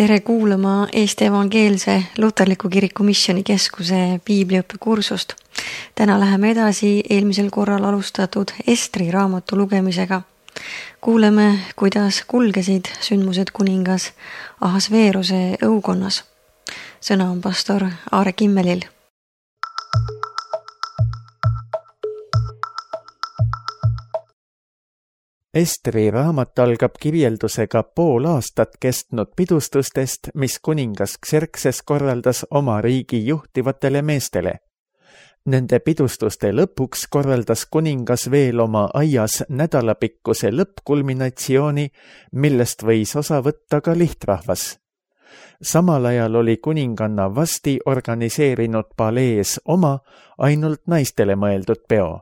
Tere kuulama Eesti Evangeelse Luterliku Kiriku Missioonikeskuse piibliõppekursust. Täna läheme edasi eelmisel korral alustatud Estri raamatu lugemisega. Kuuleme, kuidas kulgesid sündmused kuningas Ahasveeruse õukonnas. Sõna on pastor Aare Kimmelil. Estri raamat algab kirjeldusega pool aastat kestnud pidustustest, mis kuningas Xerxes korraldas oma riigi juhtivatele meestele. Nende pidustuste lõpuks korraldas kuningas veel oma aias nädalapikkuse lõppkulminatsiooni, millest võis osa võtta ka lihtrahvas. Samal ajal oli kuninganna Vasti organiseerinud palees oma ainult naistele mõeldud peo.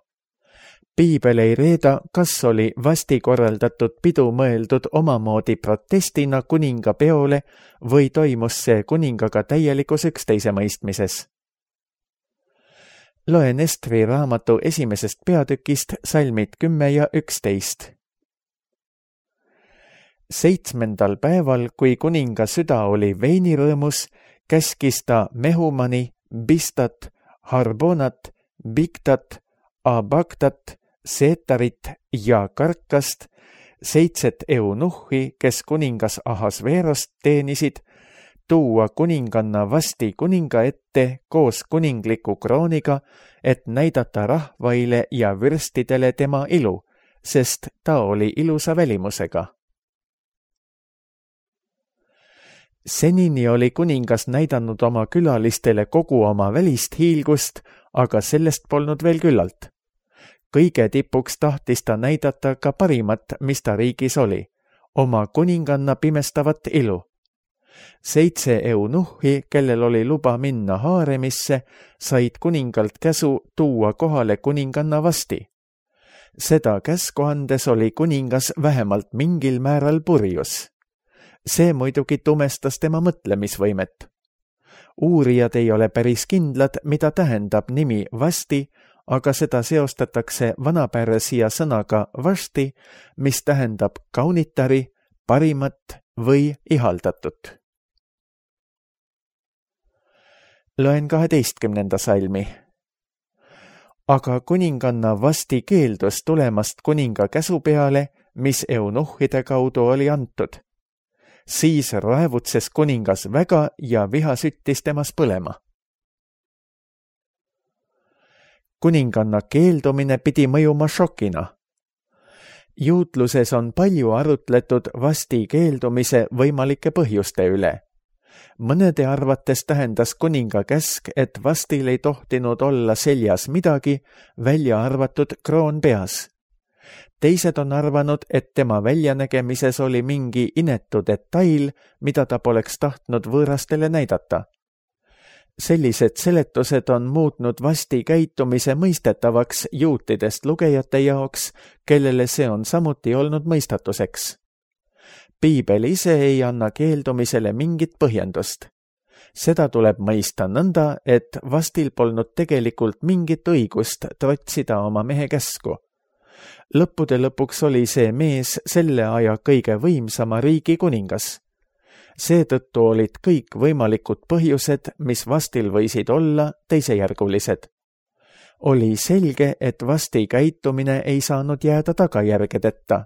Piibel ei reeda, kas oli Vasti korraldatud pidu mõeldud omamoodi protestina kuninga peole või toimus see kuningaga täielikus üksteise mõistmises. Loen Estri raamatu esimesest peatükist salmid 10 ja 11. 7. päeval, kui kuninga süda oli veinirõõmus, käskis ta Mehumani, Bistat, Harbonat, Bigtat, Abagtat, Seetarit ja Karkast, 7 eunuhhi, kes kuningas Ahasveerost teenisid, tuua kuninganna Vasti kuninga ette koos kuningliku krooniga, et näidata rahvaile ja vürstidele tema ilu, sest ta oli ilusa välimusega. Senini oli kuningas näidanud oma külalistele kogu oma välist hiilgust, aga sellest polnud veel küllalt. Kõige tipuks tahtis ta näidata ka parimat, mis ta riigis oli, oma kuninganna pimestavat ilu. 7 eunuhhi, kellel oli luba minna haaremisse, said kuningalt käsu tuua kohale kuninganna Vasti. Seda käsku andes oli kuningas vähemalt mingil määral purjus. See muidugi tumestas tema mõtlemisvõimet. Uurijad ei ole päris kindlad, mida tähendab nimi Vasti, aga seda seostatakse vanapärsia sõnaga Vasti, mis tähendab kaunitari, parimat või ihaldatut. Loen 12. salmi. Aga kuninganna Vasti keeldus tulemast kuninga käsu peale, mis eunuhhide kaudu oli antud. Siis raevutses kuningas väga ja viha süttis temas põlema. Kuninganna keeldumine pidi mõjuma šokina. Juutluses on palju arutletud Vasti keeldumise võimalike põhjuste üle. Mõnede arvates tähendas kuninga käsk, et Vastil ei tohtinud olla seljas midagi, välja arvatud kroon peas. Teised on arvanud, et tema väljanägemises oli mingi inetu detail, mida ta poleks tahtnud võõrastele näidata. Sellised seletused on muutnud Vasti käitumise mõistetavaks juutidest lugejate jaoks, kellele see on samuti olnud mõistatuseks. Piibel ise ei anna keeldumisele mingit põhjendust. Seda tuleb mõista nõnda, et Vastil polnud tegelikult mingit õigust trotsida oma mehe käsku. Lõppude lõpuks oli see mees selle aja kõige võimsama riigi kuningas. Seetõttu olid kõik võimalikud põhjused, mis Vastil võisid olla, teisejärgulised. Oli selge, et Vasti käitumine ei saanud jääda tagajärgedeta.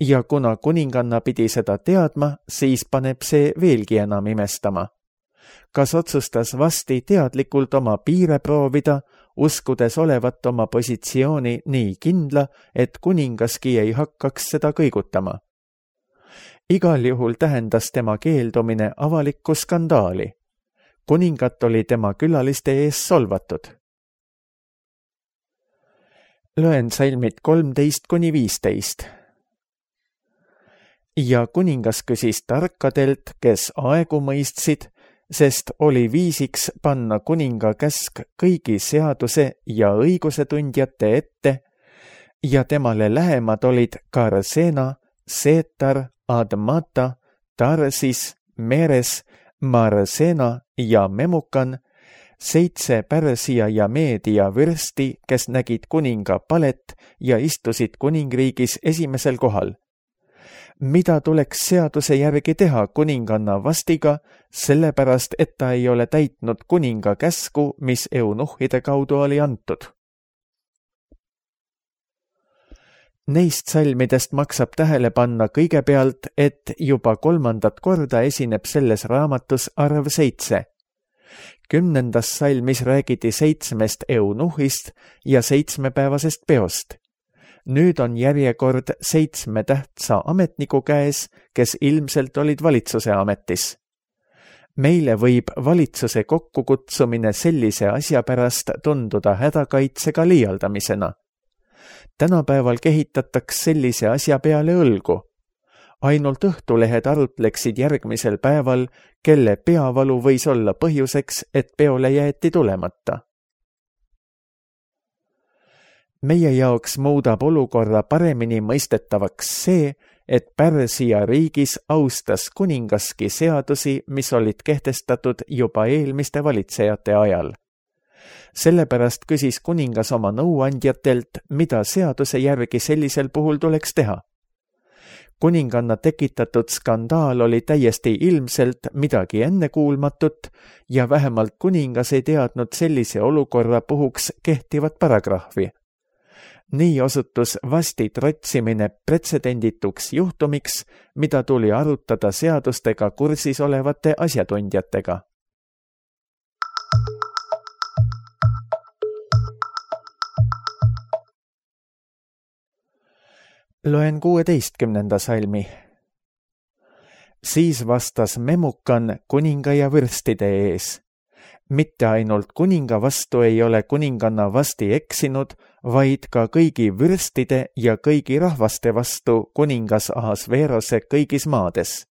Ja kuna kuninganna pidi seda teadma, siis paneb see veelgi enam imestama. Kas otsustas Vasti teadlikult oma piire proovida, uskudes olevat oma positsiooni nii kindla, et kuningaski ei hakkaks seda kõigutama? Igal juhul tähendas tema keeldumine avalikku skandaali. Kuningat oli tema külaliste ees solvatud. Loen salmid 13-15. Ja kuningas küsis tarkadelt, kes aegu mõistsid, sest oli viisiks panna kuninga käsk kõigi seaduse ja õiguse tundjate ette, ja temale lähemad olid Karsena, Seetar, Admata, Tarsis, Meres, Marsena ja Memukan, 7 Pärsia ja Meedia vürsti, kes nägid kuninga palet ja istusid kuningriigis esimesel kohal. mida tuleks seaduse järgi teha kuninganna Vastiga, sellepärast et ta ei ole täitnud kuninga käsku, mis eunuhhide kaudu oli antud. Neist salmidest maksab tähele panna kõigepealt, et juba 3. korda esineb selles raamatus arv 7. 10. salmis räägiti 7 eunuhhist ja 7-päevasest peost. Nüüd on järjekord 7 tähtsa ametniku käes, kes ilmselt olid valitsuse ametis. Meile võib valitsuse kokkukutsumine sellise asja pärast tunduda hädakaitsega liialdamisena. Tänapäeval kehitataks sellise asja peale õlgu. Ainult Õhtulehed arutleksid järgmisel päeval, kelle peavalu võis olla põhjuseks, et peole jäeti tulemata. Meie jaoks muudab olukorra paremini mõistetavaks see, et Pärsia riigis austas kuningaski seadusi, mis olid kehtestatud juba eelmiste valitsejate ajal. Sellepärast küsis kuningas oma nõuandjatelt, mida seaduse järgi sellisel puhul tuleks teha. Kuninganna tekitatud skandaal oli täiesti ilmselt midagi ennekuulmatut ja vähemalt kuningas ei teadnud sellise olukorra puhuks kehtivat paragrahvi. Nii osutus Vasti trotsimine pretsedendituks juhtumiks, mida tuli arutada seadustega kursis olevate asjatundjatega. Loen 16. salmi. Siis vastas Memukan kuninga ja vürstide ees. Mitte ainult kuninga vastu ei ole kuninganna Vasti eksinud, vaid ka kõigi vürstide ja kõigi rahvaste vastu kuningas Ahasveerose kõigis maades.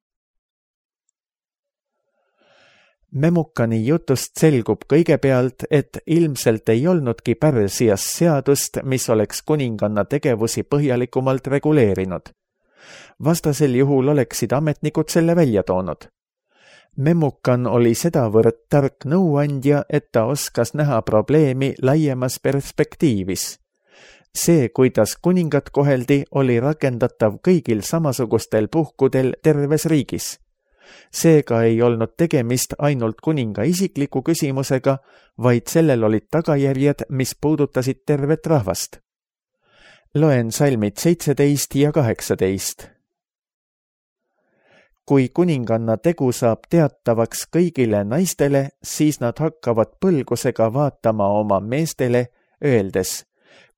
Memukani jutust selgub kõigepealt, et ilmselt ei olnudki Pärsias seadust, mis oleks kuninganna tegevusi põhjalikumalt reguleerinud. Vastasel juhul oleksid ametnikud selle välja toonud. Memukan oli sedavõrd tark nõuandja, et ta oskas näha probleemi laiemas perspektiivis. See, kuidas kuningat koheldi, oli rakendatav kõigil samasugustel puhkudel terves riigis. Seega ei olnud tegemist ainult kuninga isikliku küsimusega, vaid sellel olid tagajärjed, mis puudutasid tervet rahvast. Loen salmid 17 ja 18. Kui kuninganna tegu saab teatavaks kõigile naistele, siis nad hakkavad põlgusega vaatama oma meestele, öeldes: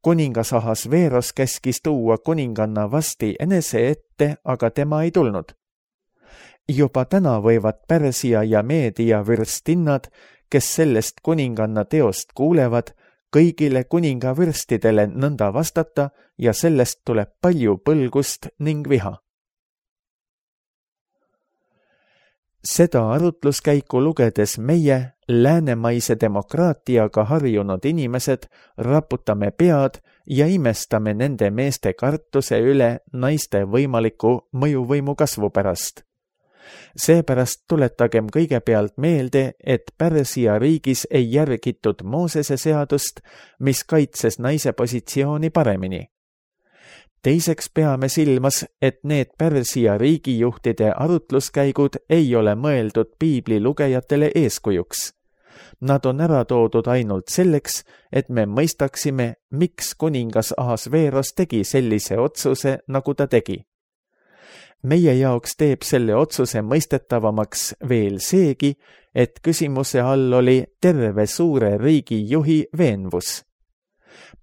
kuningas Ahasveeros käskis tuua kuninganna Vasti enese ette, aga tema ei tulnud. Juba täna võivad Pärsia ja Meedia vürstinnad, kes sellest kuninganna teost kuulevad, kõigile kuninga vürstidele nõnda vastata ja sellest tuleb palju põlgust ning viha. Seda arutluskäiku lugedes meie, läänemaise demokraatiaga harjunud inimesed, raputame pead ja imestame nende meeste kartuse üle naiste võimaliku mõjuvõimu kasvu pärast. Seepärast tuletagem kõigepealt meelde, et Pärsia riigis ei järgitud Moosese seadust, mis kaitses naise positsiooni paremini. Teiseks peame silmas, et need Pärsia riigijuhtide arutluskäigud ei ole mõeldud piibli lugejatele eeskujuks. Nad on ära toodud ainult selleks, et me mõistaksime, miks kuningas Ahasveeros tegi sellise otsuse, nagu ta tegi. Meie jaoks teeb selle otsuse mõistetavamaks veel seegi, et küsimuse all oli terve suure riigi juhi veenvus.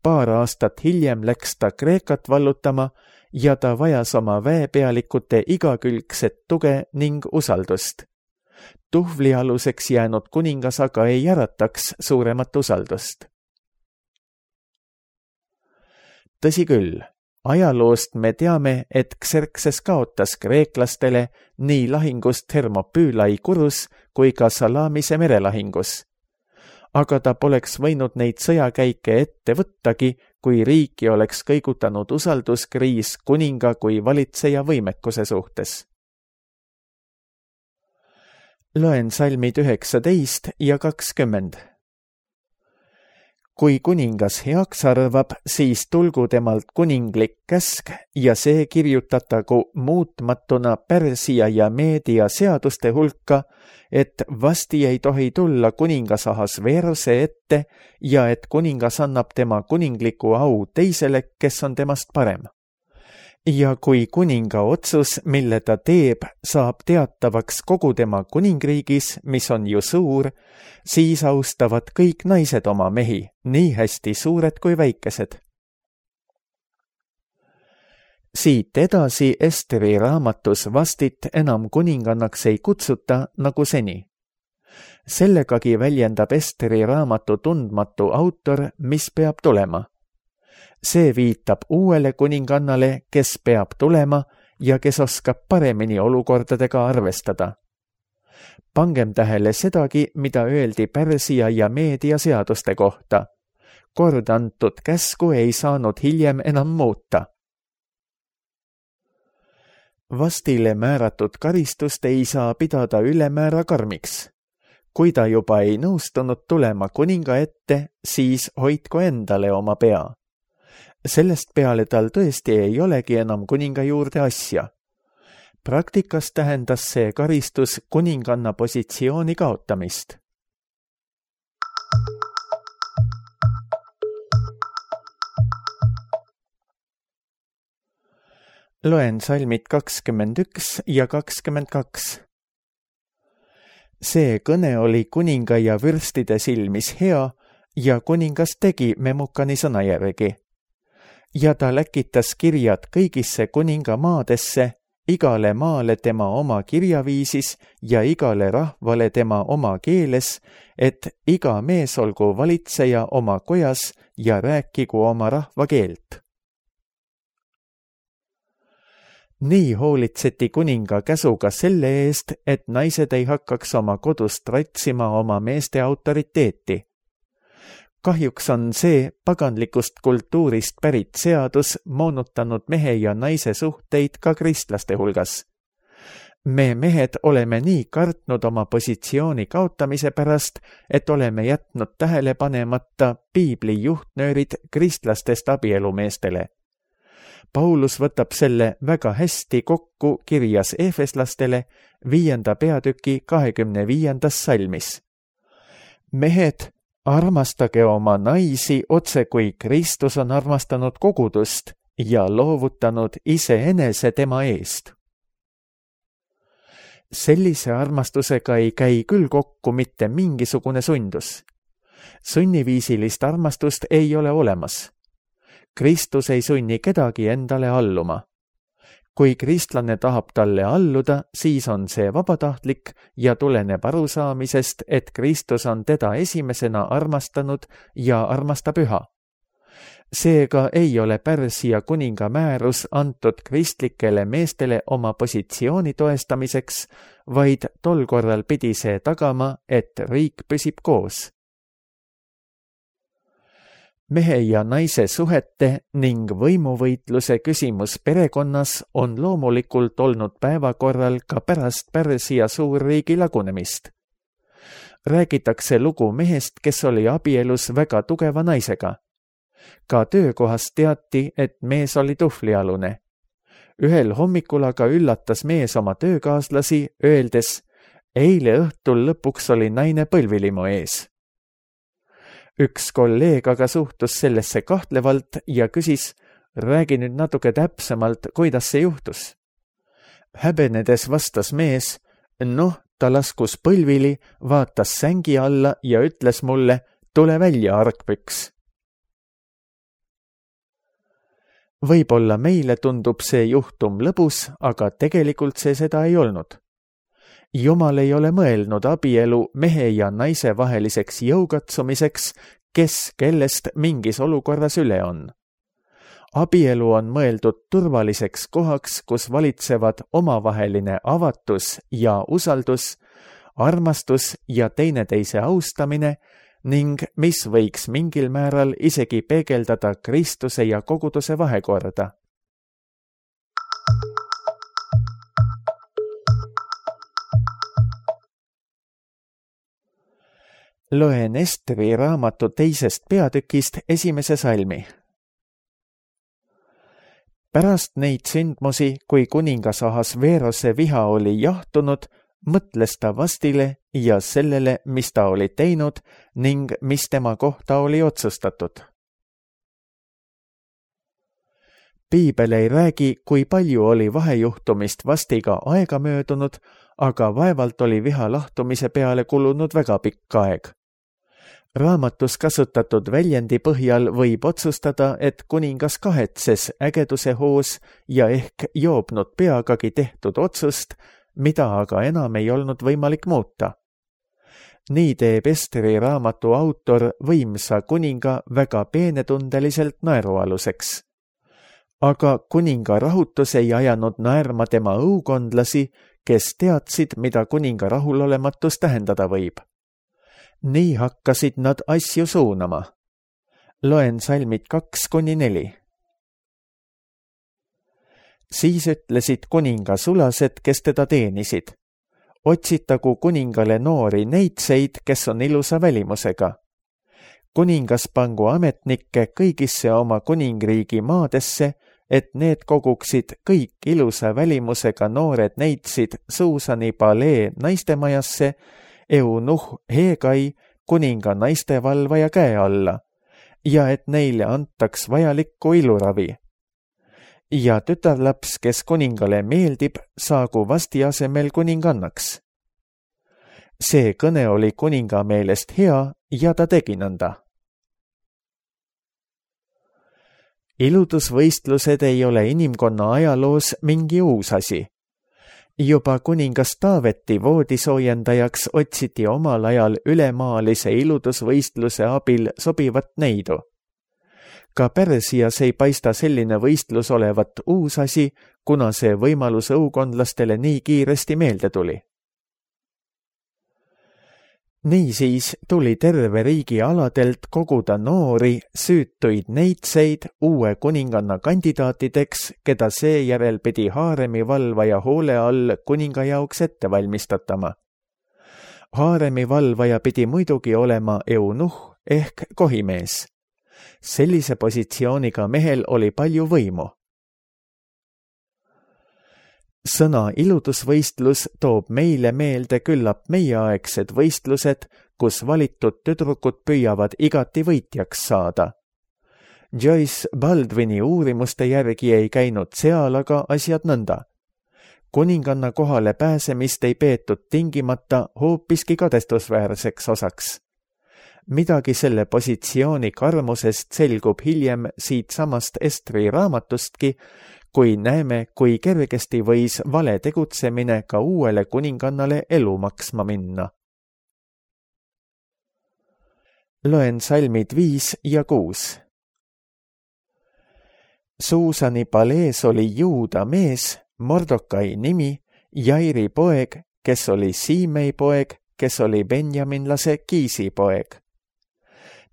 Paar aastat hiljem läks ta Kreekat vallutama ja ta vajas oma väepealikute igakülgset tuge ning usaldust. Tuhvlialuseks jäänud kuningas aga ei ärataks suuremat usaldust. Tõsi küll, ajaloost me teame, et Xerxes kaotas kreeklastele nii lahingust Thermopylae Kurus kui ka Salamise merelahingus. Aga ta poleks võinud neid sõjakäike ette võttagi, kui riiki oleks kõigutanud usalduskriis kuninga kui valitseja võimekuse suhtes. Loen salmid 19 ja 20. kui kuningas heaks arvab, siis tulgu temalt kuninglik käsk ja see kirjutatagu muutmatuna Pärsia ja Meedia seaduste hulka, et vasti ei tohi tulla kuningas Ahasveerose ette ja et kuningas annab tema kuningliku au teisele, kes on temast parem. Ja kui kuninga otsus, mille ta teeb, saab teatavaks kogu tema kuningriigis, mis on ju suur, siis austavad kõik naised oma mehi, nii hästi suured kui väikesed. Siit edasi Esteri raamatus Vastit enam kuningannaks ei kutsuta nagu seni. Sellegagi väljendab Esteri raamatu tundmatu autor, mis peab tulema. See viitab uuele kuningannale, kes peab tulema ja kes oskab paremini olukordadega arvestada. Pangem tähele sedagi, mida öeldi Pärsia ja Meedia seaduste kohta. Kord antud käsku ei saanud hiljem enam muuta. Vastile määratud karistust ei saa pidada ülemäära karmiks. Kui ta juba ei nõustunud tulema kuninga ette, siis hoidku endale oma pea. Sellest peale tal tõesti ei olegi enam kuninga juurde asja. Praktikas tähendas see karistus kuninganna positsiooni kaotamist. Loen salmid 21 ja 22. See kõne oli kuninga ja vürstide silmis hea ja kuningas tegi Memukani sõna järgi. Ja ta läkitas kirjad kõigisse kuninga maadesse, igale maale tema oma kirjaviisis ja igale rahvale tema oma keeles, et iga mees olgu valitseja oma kojas ja rääkigu oma rahva keelt. Nii hoolitseti kuninga käsuga selle eest, et naised ei hakkaks oma kodust ratsima oma meeste autoriteeti. Kahjuks on see paganlikust kultuurist pärit seadus moonutanud mehe ja naise suhteid ka kristlaste hulgas. Me mehed oleme nii kartnud oma positsiooni kaotamise pärast, et oleme jätnud tähele panemata piibli juhtnöörid kristlastest abielumeestele. Paulus võtab selle väga hästi kokku kirjas Efeslastele 5. peatüki 25. salmis. Mehed, armastage oma naisi otse kui Kristus on armastanud kogudust ja loovutanud iseenese tema eest. Sellise armastusega ei käi küll kokku mitte mingisugune sundus. Sunniviisilist armastust ei ole olemas. Kristus ei sunni kedagi endale alluma. Kui kristlane tahab talle alluda, siis on see vabatahtlik ja tuleneb arusaamisest, et Kristus on teda esimesena armastanud ja armastab üha. Seega ei ole Pärsia kuninga määrus antud kristlikele meestele oma positsiooni toestamiseks, vaid tol korral pidi see tagama, et riik püsib koos. Mehe ja naise suhete ning võimuvõitluse küsimus perekonnas on loomulikult olnud päevakorral ka pärast Pärsia suurriigi lagunemist. Räägitakse lugu mehest, kes oli abielus väga tugeva naisega. Ka töökohas teati, et mees oli tuhvlialune. Ühel hommikul aga üllatas mees oma töökaaslasi, öeldes, eile õhtul lõpuks oli naine põlvilimu ees. Üks kolleeg aga suhtus sellesse kahtlevalt ja küsis, räägi nüüd natuke täpsemalt, kuidas see juhtus. Häbenedes vastas mees, ta laskus põlvili, vaatas sängi alla ja ütles mulle, tule välja, argpüks. Võib-olla meile tundub see juhtum lõbus, aga tegelikult see seda ei olnud. Jumal ei ole mõelnud abielu mehe ja naise vaheliseks jõukatsumiseks, kes kellest mingis olukorras üle on. Abielu on mõeldud turvaliseks kohaks, kus valitsevad omavaheline avatus ja usaldus, armastus ja teineteise austamine ning mis võiks mingil määral isegi peegeldada Kristuse ja koguduse vahekorda. Loen Estri raamatu 2. peatükist 1. salmi. Pärast neid sündmusi, kui kuningas Ahasveerose viha oli jahtunud, mõtles ta Vastile ja sellele, mis ta oli teinud ning mis tema kohta oli otsustatud. Piibel ei räägi, kui palju oli vahejuhtumist Vastiga aega möödunud, aga vaevalt oli viha lahtumise peale kulunud väga pikk aeg. Raamatus kasutatud väljendi põhjal võib otsustada, et kuningas kahetses ägeduse hoos ja ehk joobnud peagagi tehtud otsust, mida aga enam ei olnud võimalik muuta. Nii teeb Estri raamatu autor võimsa kuninga väga peenetundeliselt naerualuseks. Aga kuninga rahutus ei ajanud naerma tema õukondlasi, kes teadsid, mida kuninga rahulolematus tähendada võib. Nii hakkasid nad asju suunama. Loen salmid 2-4. Siis ütlesid kuninga sulased, kes teda teenisid. Otsitagu kuningale noori neitseid, kes on ilusa välimusega. Kuningas pangu ametnikke kõigisse oma kuningriigi maadesse, et need koguksid kõik ilusa välimusega noored neitsid Suusani palee naistemajasse, Eunuh Hegai kuninga naistevalvaja käe alla ja et neile antaks vajalikku iluravi. Ja tütarlaps, kes kuningale meeldib, saagu Vasti asemel kuningannaks. See kõne oli kuninga meelest hea ja ta tegi nõnda. Iludusvõistlused ei ole inimkonna ajaloos mingi uus asi. Juba kuningas Taaveti voodisoojendajaks otsiti omal ajal ülemaalise iludusvõistluse abil sobivat neidu. Ka Pärsias ei paista selline võistlus olevat uus asi, kuna see võimalus õukondlastele nii kiiresti meelde tuli. Niisiis tuli terve riigi aladelt koguda noori, süütuid neitseid uue kuninganna kandidaatideks, keda seejärel pidi haaremi valvaja hoole all kuninga jaoks ette valmistatama. Haaremi valvaja pidi muidugi olema eunuh ehk kohimees. Sellise positsiooniga mehel oli palju võimu. Sõna iludusvõistlus toob meile meelde küllap meieaegsed võistlused, kus valitud tüdrukud püüavad igati võitjaks saada. Joyce Baldwini uurimuste järgi ei käinud seal aga asjad nõnda. Kuninganna kohale pääsemist ei peetud tingimata hoopiski kadestusväärseks osaks. Midagi selle positsiooni karmusest selgub hiljem siit samast Estri raamatustki, kui näeme, kui kergesti võis vale tegutsemine ka uuele kuningannale elu maksma minna. Loen salmid 5 ja 6. Suusani palees oli Juuda mees, Mordokai nimi, Jairi poeg, kes oli Siimei poeg, kes oli benjaminlase Kiisi poeg.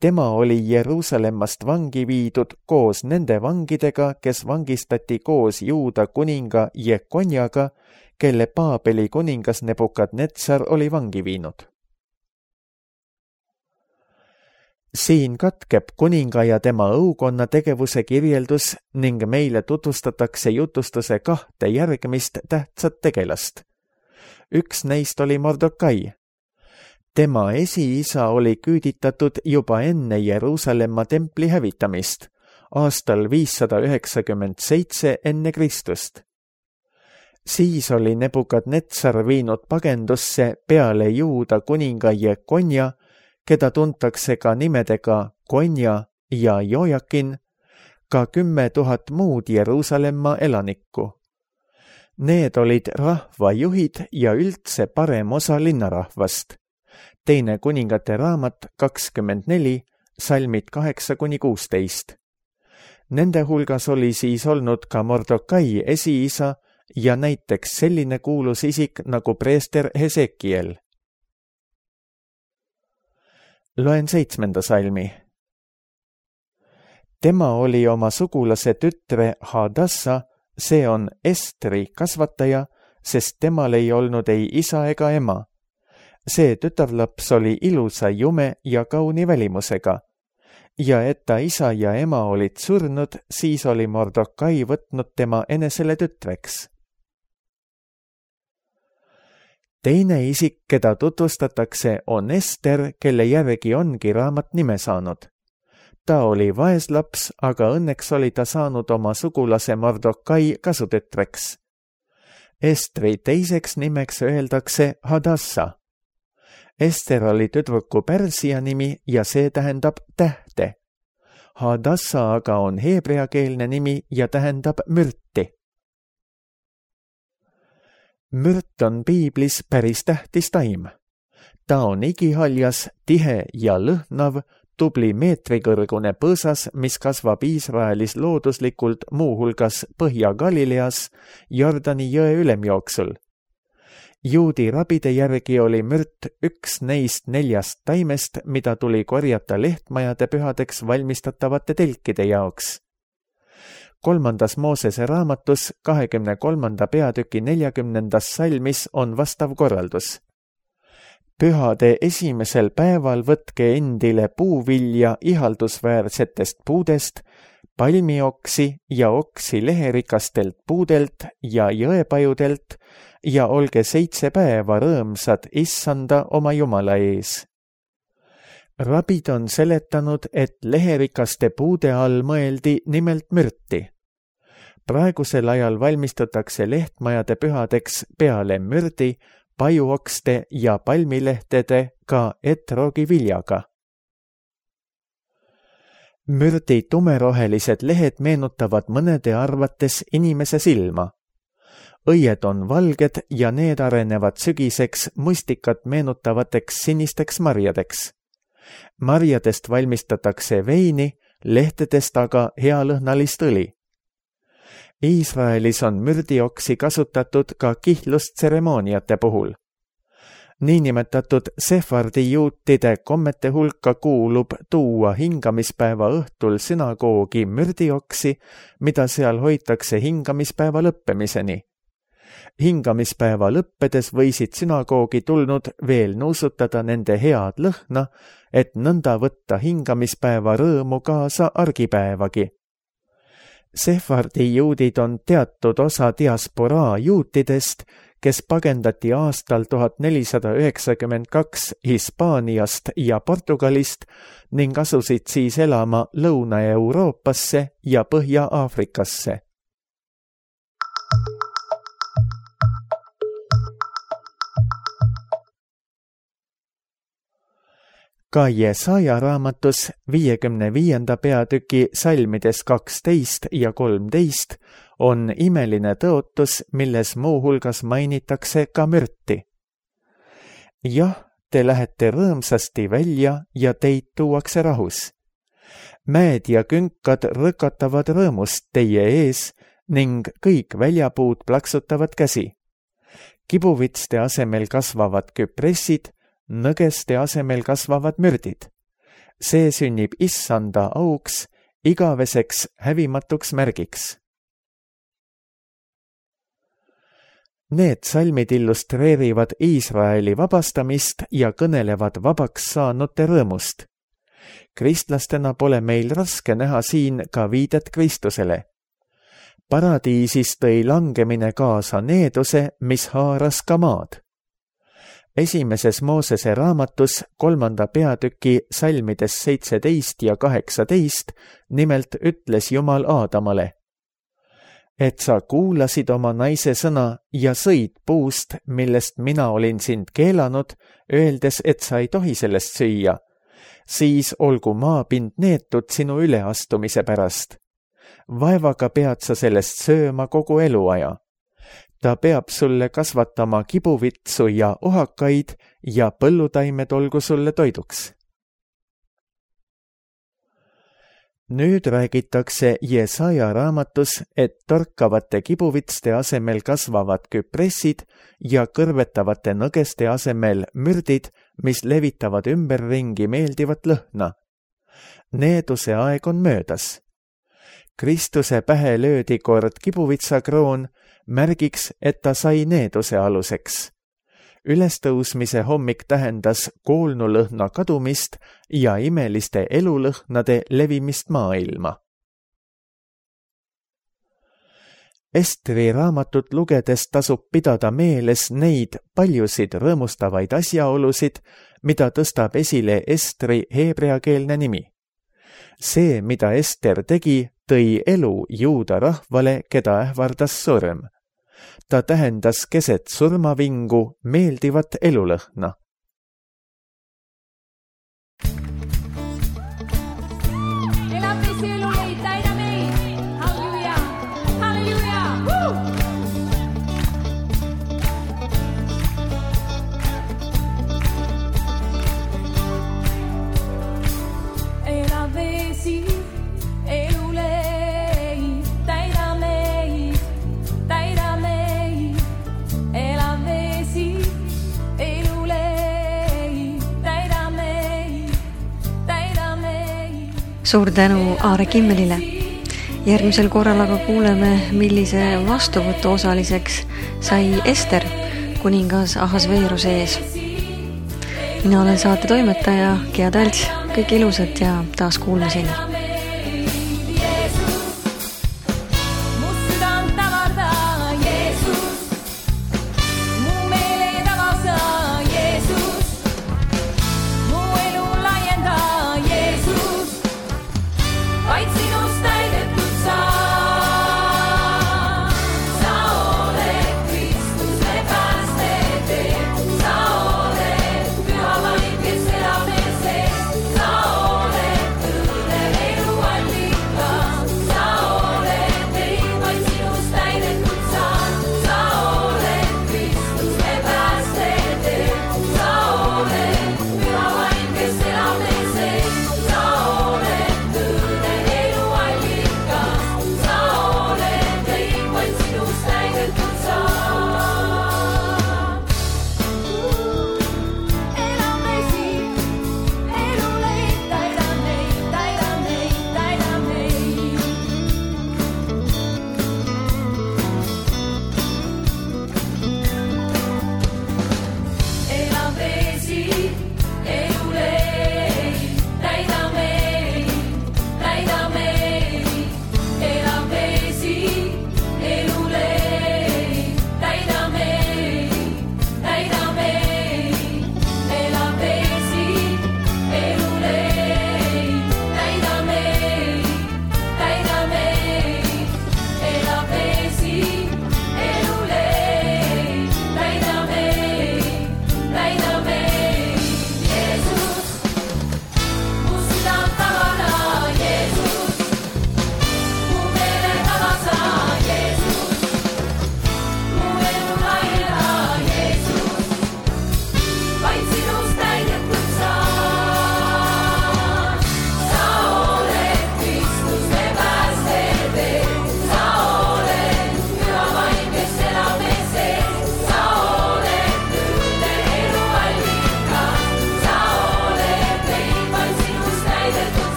Tema oli Jeruusalemmast vangi viidud koos nende vangidega, kes vangistati koos Juuda kuninga Jekonjaga, kelle Paabeli kuningas Nebukadnetsar oli vangi viinud. Siin katkeb kuninga ja tema õukonna tegevuse kirjeldus ning meile tutvustatakse jutustuse 2 järgmist tähtsat tegelast. Üks neist oli Mordokai. Tema esiisa oli küüditatud juba enne Jeruusalemma templi hävitamist, aastal 597 enne Kristust. Siis oli Nebukadnetsar viinud pagendusse peale Juuda kuninga Jekonja, keda tuntakse ka nimedega Konja ja Jojakin, ka 10 000 muud Jeruusalemma elanikku. Need olid rahvajuhid ja üldse parem osa linnarahvast. Teine kuningate raamat 24, salmid 8-16. Nende hulgas oli siis olnud ka Mordokai esiisa ja näiteks selline kuulus isik nagu preester Hesekiel. Loen 7. salmi. Tema oli oma sugulase tütre Hadassa, see on Estri kasvataja, sest temal ei olnud ei isa ega ema. See tütarlaps oli ilusa jume ja kauni välimusega ja et ta isa ja ema olid surnud, siis oli Mordokai võtnud tema enesele tütreks. Teine isik, keda tutvustatakse, on Ester, kelle järgi ongi raamat nime saanud. Ta oli vaeslaps, aga õnneks oli ta saanud oma sugulase Mordokai kasutütreks. Estri teiseks nimeks öeldakse Hadassa. Ester oli tüdruku pärsia nimi ja see tähendab tähte. Hadassa aga on heebreakeelne nimi ja tähendab mürti. Mürt on piiblis päris tähtis taim. Ta on igihaljas, tihe ja lõhnav, tubli meetrikõrgune põõsas, mis kasvab Iisraelis looduslikult muuhulgas Põhja-Galileas Jordani jõe ülemjooksul. Juudi rabide järgi oli mürt üks neist 4 taimest, mida tuli korjata lehtmajade pühadeks valmistatavate telkide jaoks. 3. Moosese raamatus 23. peatüki 40. salmis on vastav korraldus. Pühade esimesel päeval võtke endile puuvilja ihaldusväärsetest puudest, palmioksi ja oksi leherikastelt puudelt ja jõepajudelt ja olge 7 päeva rõõmsad issanda oma Jumala ees. Rabid on seletanud, et leherikaste puude all mõeldi nimelt mürti. Praegusel ajal valmistatakse lehtmajade pühadeks peale mürdi, pajuokste ja palmilehtede ka etroogi viljaga. Mürdi tumerohelised lehed meenutavad mõnede arvates inimese silma. Õied on valged ja need arenevad sügiseks mustikat meenutavateks sinisteks marjadeks. Marjadest valmistatakse veini, lehtedest aga healõhnalist õli. Iisraelis on mürdioksi kasutatud ka kihlustseremooniate puhul. Niinimetatud sefardi juutide kommete hulka kuulub tuua hingamispäeva õhtul sünagoogi mürdioksi, mida seal hoitakse hingamispäeva lõppemiseni. Hingamispäeva lõppedes võisid sünagoogi tulnud veel nuusutada nende head lõhna, et nõnda võtta hingamispäeva rõõmu kaasa argipäevagi. Sefardi juudid on teatud osa diasporaa juutidest, kes pagendati aastal 1492 Hispaaniast ja Portugalist ning asusid siis elama Lõuna-Euroopasse ja Põhja-Aafrikasse. Ka Jesaja raamatus 55. peatüki salmides 12 ja 13 on imeline tõotus, milles muuhulgas mainitakse ka mürti. Jah, te lähete rõõmsasti välja ja teid tuuakse rahus. Mäed ja künkad rõkatavad rõõmust teie ees ning kõik väljapuud plaksutavad käsi. Kibuvitste asemel kasvavad küpressid, nõgeste asemel kasvavad mürdid. See sünnib issanda auks, igaveseks hävimatuks märgiks. Need salmid illustreerivad Iisraeli vabastamist ja kõnelevad vabaks saanute rõõmust. Kristlastena pole meil raske näha siin ka viidet Kristusele. Paradiisis tõi langemine kaasa needuse, mis haaras ka maad. Esimeses Moosese raamatus 3. peatüki salmides 17 ja 18 nimelt ütles Jumal Aadamale: et sa kuulasid oma naise sõna ja sõid puust, millest mina olin sind keelanud, öeldes, et sa ei tohi sellest süüa, siis olgu maapind neetud sinu üleastumise pärast. Vaevaga pead sa sellest sööma kogu eluaja. Ta peab sulle kasvatama kibuvitsu ja ohakaid ja põllutaimed olgu sulle toiduks. Nüüd räägitakse Jesaja raamatus, et torkavate kibuvitste asemel kasvavad küpressid ja kõrvetavate nõgeste asemel mürdid, mis levitavad ümberringi meeldivat lõhna. Needuse aeg on möödas. Kristuse pähe löödi kord kibuvitsakroon, märgiks, et ta sai needuse aluseks. Ülestõusmise hommik tähendas koolnulõhna kadumist ja imeliste elulõhnade levimist maailma. Estri raamatut lugedes tasub pidada meeles neid paljusid rõõmustavaid asjaolusid, mida tõstab esile Estri heebreakeelne nimi. See, mida Ester tegi, tõi elu juuda rahvale, keda ähvardas surm. Ta tähendas keset surmavingu meeldivat elulõhna. Suur tänu Aare Kimmelile. Järgmisel korral aga kuuleme, millise vastuvõtu osaliseks sai Ester kuningas Ahasveeruse ees. Mina olen saate toimetaja Gea Talts, kõik ilusat ja taas kuulmiseni.